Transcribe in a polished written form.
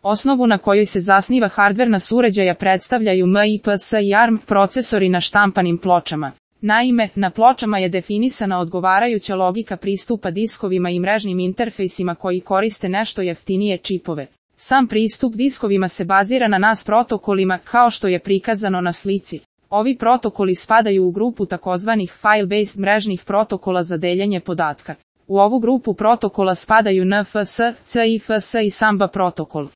Osnovu na kojoj se zasniva hardverna uređaja predstavljaju MIPS i ARM procesori na štampanim pločama. Naime, na pločama je definisana odgovarajuća logika pristupa diskovima i mrežnim interfejsima koji koriste nešto jeftinije čipove. Sam pristup diskovima se bazira na NAS protokolima, kao što je prikazano na slici. Ovi protokoli spadaju u grupu takozvanih file-based mrežnih protokola za deljenje podatka. U ovu grupu protokola spadaju NFC, CIFS i Samba protokol.